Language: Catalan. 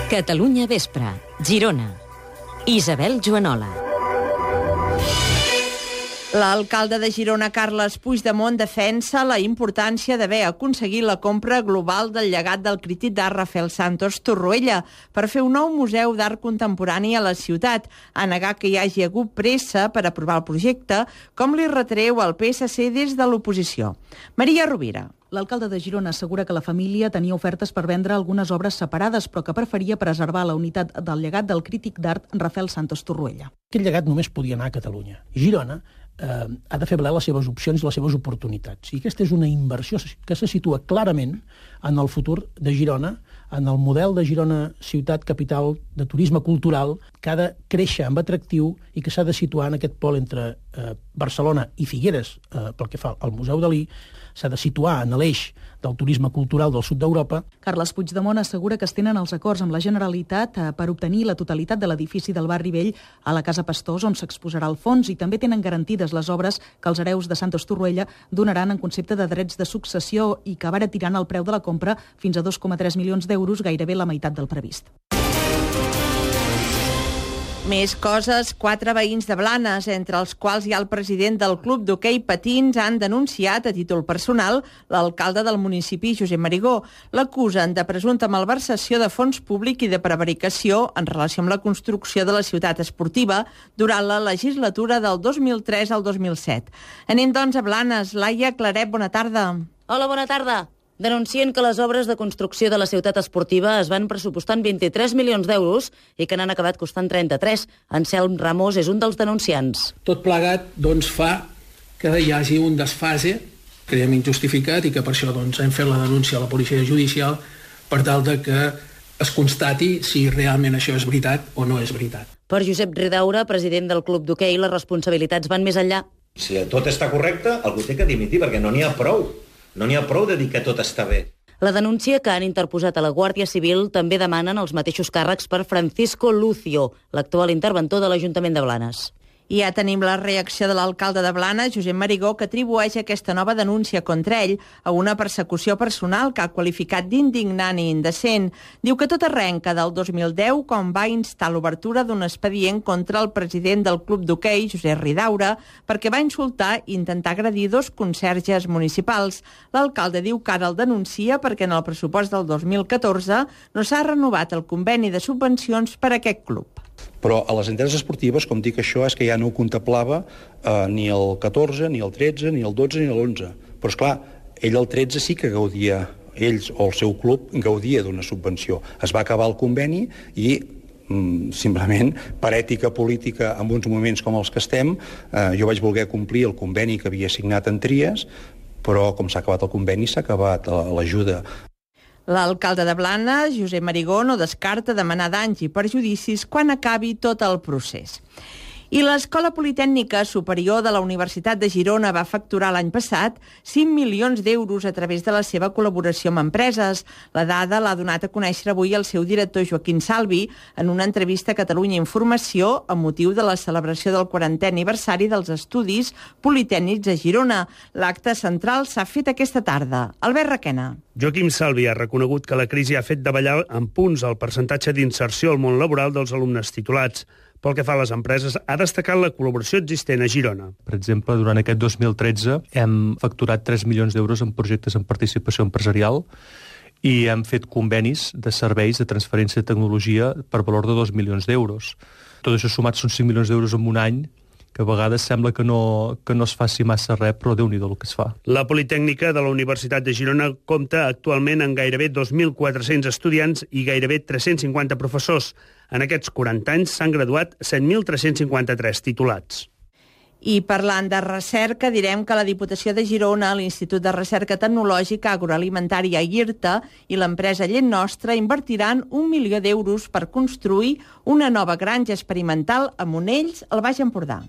Catalunya Vespre, Girona. Isabel Joanola. L'alcalde de Girona, Carles Puigdemont, defensa la importància d'haver aconseguit la compra global del llegat del crític d'art Rafael Santos Torroella per fer un nou museu d'art contemporani a la ciutat, a negar que hi hagi hagut pressa per aprovar el projecte, com li retreu el PSC des de l'oposició. Maria Rovira. L'alcalde de Girona assegura que la família tenia ofertes per vendre algunes obres separades, però que preferia preservar la unitat del llegat del crític d'art Rafael Santos Torroella. Aquest llegat només podia anar a Catalunya. Girona ha de fer valer les seves opcions i les seves oportunitats. I aquesta és una inversió que se situa clarament en el futur de Girona, en el model de Girona ciutat capital de turisme cultural, que ha de créixer amb atractiu i que s'ha de situar en aquest pol entre Barcelona i Figueres, pel que fa al Museu Dalí, s'ha de situar en l'eix del turisme cultural del sud d'Europa. Carles Puigdemont assegura que es tenen els acords amb la Generalitat per obtenir la totalitat de l'edifici del barri vell a la Casa Pastors, on s'exposarà el fons, i també tenen garantides les obres que els hereus de Santos Torroella donaran en concepte de drets de successió i que abaratiran el preu de la compra fins a 2,3 milions d'euros, gairebé la meitat del previst. Més coses, 4 veïns de Blanes, entre els quals hi ha el president del club d'hoquei patins, han denunciat a títol personal l'alcalde del municipi, Josep Marigó. L'acusen de presumpta malversació de fons públic i de prevaricació en relació amb la construcció de la ciutat esportiva durant la legislatura del 2003 al 2007. Anem, doncs, a Blanes. Laia Claret, bona tarda. Hola, bona tarda. Denuncien que les obres de construcció de la ciutat esportiva es van pressupostar en 23 milions d'euros i que n'han acabat costant 33. Anselm Ramos és un dels denunciants. Tot plegat doncs, fa que hi hagi un desfase, creiem injustificat, i que per això doncs, hem fet la denúncia a la policia judicial per tal de que es constati si realment això és veritat o no és veritat. Per Josep Ridaura, president del club d'hoquei, les responsabilitats van més enllà. Si tot està correcte, algú té que dimitir, perquè no n'hi ha prou. No n'hi ha prou de dir que tot està bé. La denúncia que han interposat a la Guàrdia Civil també demanen els mateixos càrrecs per Francisco Lucio, l'actual interventor de l'Ajuntament de Blanes. I ja tenim la reacció de l'alcalde de Blanes, Josep Marigó, que atribueix aquesta nova denúncia contra ell a una persecució personal que ha qualificat d'indignant i indecent. Diu que tot arrenca del 2010, quan va instar l'obertura d'un expedient contra el president del club d'hoquei, Josep Ridaura, perquè va insultar i intentar agredir 2 conserges municipals. L'alcalde diu que ara el denuncia perquè en el pressupost del 2014 no s'ha renovat el conveni de subvencions per a aquest club. Però a les entitats esportives, com dic, això és que ja no ho contemplava ni el 14, ni el 13, ni el 12, ni l'11. Però, esclar, ell el 13 sí que gaudia, ells o el seu club gaudia d'una subvenció. Es va acabar el conveni i simplement, per ètica política en uns moments com els que estem, jo vaig voler complir el conveni que havia signat en Tries, però com s'ha acabat el conveni s'ha acabat l'ajuda. L'alcalde de Blanes, Josep Marigó, no descarta demanar danys i perjudicis quan acabi tot el procés. I l'Escola Politècnica Superior de la Universitat de Girona va facturar l'any passat 5 milions d'euros a través de la seva col·laboració amb empreses. La dada l'ha donat a conèixer avui el seu director Joaquim Salvi en una entrevista a Catalunya Informació amb motiu de la celebració del 40è aniversari dels Estudis Politècnics a Girona. L'acte central s'ha fet aquesta tarda. Albert Requena. Joaquim Salvi ha reconegut que la crisi ha fet davallar en punts el percentatge d'inserció al món laboral dels alumnes titulats. Pel que fa a les empreses, ha destacat la col·laboració existent a Girona. Per exemple, durant aquest 2013 hem facturat 3 milions d'euros en projectes en participació empresarial i hem fet convenis de serveis de transferència de tecnologia per valor de 2 milions d'euros. Tot això sumat són 5 milions d'euros en un any, que a vegades sembla que no es faci massa res, però Déu-n'hi-do el que es fa. La Politècnica de la Universitat de Girona compta actualment amb gairebé 2.400 estudiants i gairebé 350 professors. En aquests 40 anys s'han graduat 7.353 titulats. I parlant de recerca, direm que la Diputació de Girona, l'Institut de Recerca Tecnològica Agroalimentària IRTA i l'empresa Llet Nostra invertiran 1 milió d'euros per construir una nova granja experimental a Monells, al Baix Empordà.